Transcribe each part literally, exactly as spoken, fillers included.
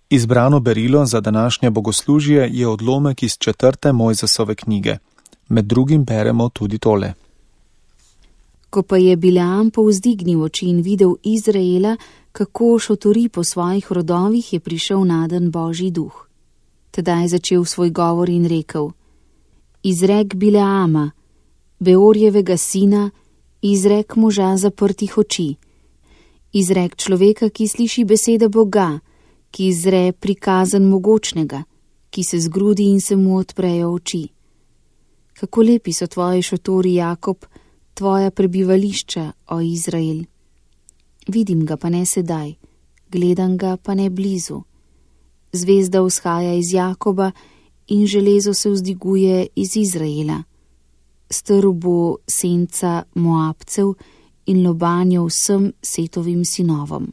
Izbrano berilo za današnje bogoslužje je odlomek iz četrte Mojzesove knjige. Med drugim beremo tudi tole. Ko pa je Bileam povzdignil oči in videl Izraela, kako šotori po svojih rodovih, je prišel naden Božji duh. Tedaj je začel svoj govor in rekel: Izrek Bileama, Beorjevega sina, izrek moža zaprtih oči, izrek človeka, ki sliši besede Boga, ki izre prikazan mogočnega, ki se zgrudi in se mu odprejo oči. Kako lepi so tvoji šotori, Jakob, tvoja prebivališča, o Izrael. Vidim ga pa ne sedaj, gledam ga pa ne blizu. Zvezda vzhaja iz Jakoba in železo se vzdiguje iz Izraela. Strl bo senca Moabcev in lobanjo vsem Setovim sinovom.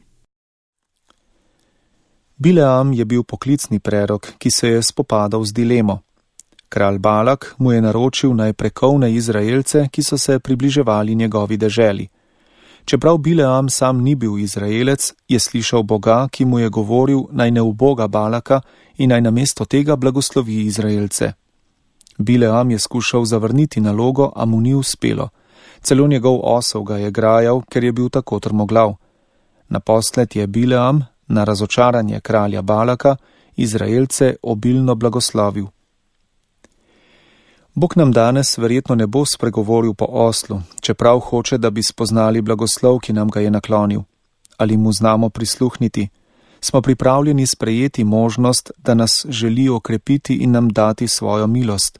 Bileam je bil poklicni prerok, ki se je spopadal z dilemo. Kralj Balak mu je naročil naj prekovne Izraelce, ki so se približevali njegovi deželi. Čeprav Bileam sam ni bil Izraelec, je slišal Boga, ki mu je govoril, naj ne uboga Balaka in naj namesto tega blagoslovi Izraelce. Bileam je skušal zavrniti nalogo, a mu ni uspelo. Celo njegov osel ga je grajal, ker je bil tako trmoglav. Naposled je Bileam, na razočaranje kralja Balaka, Izraelce obilno blagoslovil. Bog nam danes verjetno ne bo spregovoril po oslu, čeprav hoče, da bi spoznali blagoslov, ki nam ga je naklonil. Ali mu znamo prisluhniti? Smo pripravljeni sprejeti možnost, da nas želi okrepiti in nam dati svojo milost?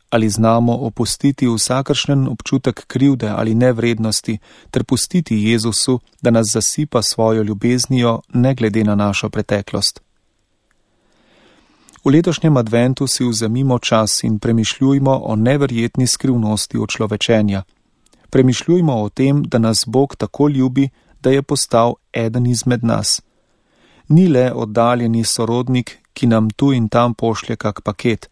Ali znamo opustiti vsakršen občutek krivde ali nevrednosti ter pustiti Jezusu, da nas zasipa svojo ljubeznijo, ne glede na našo preteklost? V letošnjem adventu si vzemimo čas in premišljujmo o neverjetni skrivnosti očlovečenja. Premišljujmo o tem, da nas Bog tako ljubi, da je postal eden izmed nas. Ni le oddaljeni sorodnik, ki nam tu in tam pošlje kak paket.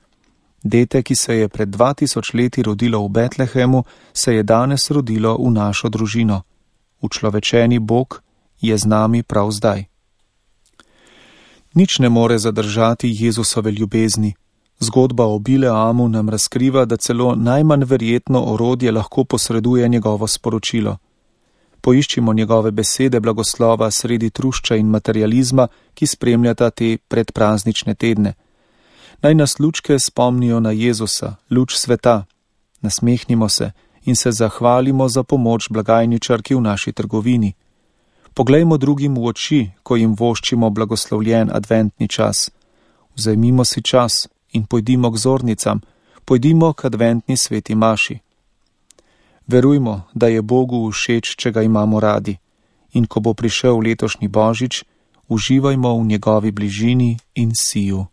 Dete, ki se je pred dva tisoč leti rodilo v Betlehemu, se je danes rodilo v našo družino. Učlovečeni Bog je z nami prav zdaj. Nič ne more zadržati Jezusove ljubezni. Zgodba o Bileamu nam razkriva, da celo najmanj verjetno orodje lahko posreduje njegovo sporočilo. Poiščimo njegove besede blagoslova sredi trušča in materializma, ki spremljata te predpraznične tedne. Naj nas lučke spomnijo na Jezusa, luč sveta. Nasmehnimo se in se zahvalimo za pomoč blagajničarki v naši trgovini. Poglejmo drugim v oči, ko jim voščimo blagoslovljen adventni čas. Vzemimo si čas in pojdimo k zornicam, pojdimo k adventni sveti maši. Verujmo, da je Bogu všeč, če ga imamo radi, in ko bo prišel letošnji Božič, uživajmo v njegovi bližini in siju.